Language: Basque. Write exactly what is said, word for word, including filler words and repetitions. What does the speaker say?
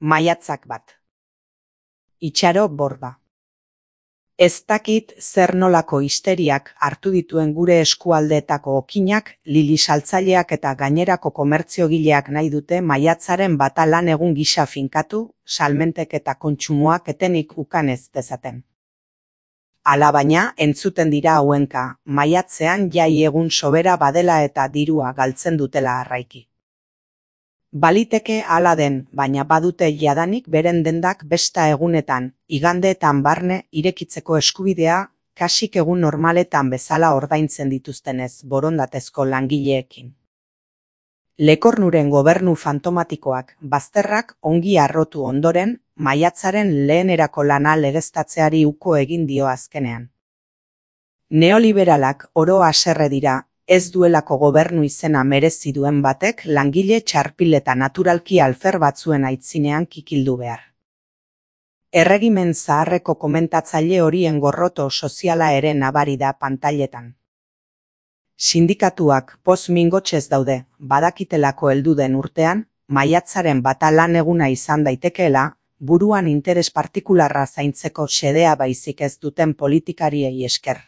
Maiatzak bat. Itxaro borda. Ez dakit zer nolako histeriak hartu dituen gure eskualdeetako okinak, lili saltzaileak eta gainerako komertziogileak nahi dute maiatzaren bata lan egun gisa finkatu, salmentek eta kontsumoak etenik ukan ez dezaten. Alabaina, entzuten dira hauenka, maiatzean jai egun sobera badela eta dirua galtzen dutela arraiki. Baliteke hala den, baina badute jadanik beren dendak besta egunetan, igandeetan barne irekitzeko eskubidea, kasik egun normaletan bezala ordaintzen dituztenez borondatezko langileekin. Lekornuren gobernu fantomatikoak bazterrak ongi arrotu ondoren, maiatzaren lehenerako lana legeztatzeari uko egin dio azkenean. Neoliberalak oro haserre dira, ez duelako gobernu izena merezi duen batek langile txarpil eta naturalki alfer batzuen aitzinean kikildu behar. Erregimen zaharreko komentatzaile horien gorroto soziala ere nabari da pantailetan. Sindikatuak poz mingotxez daude, badakitelako heldu den urtean, maiatzaren bata lan eguna izan daitekeela, buruan interes partikularra zaintzeko xedea baizik ez duten politikariei esker.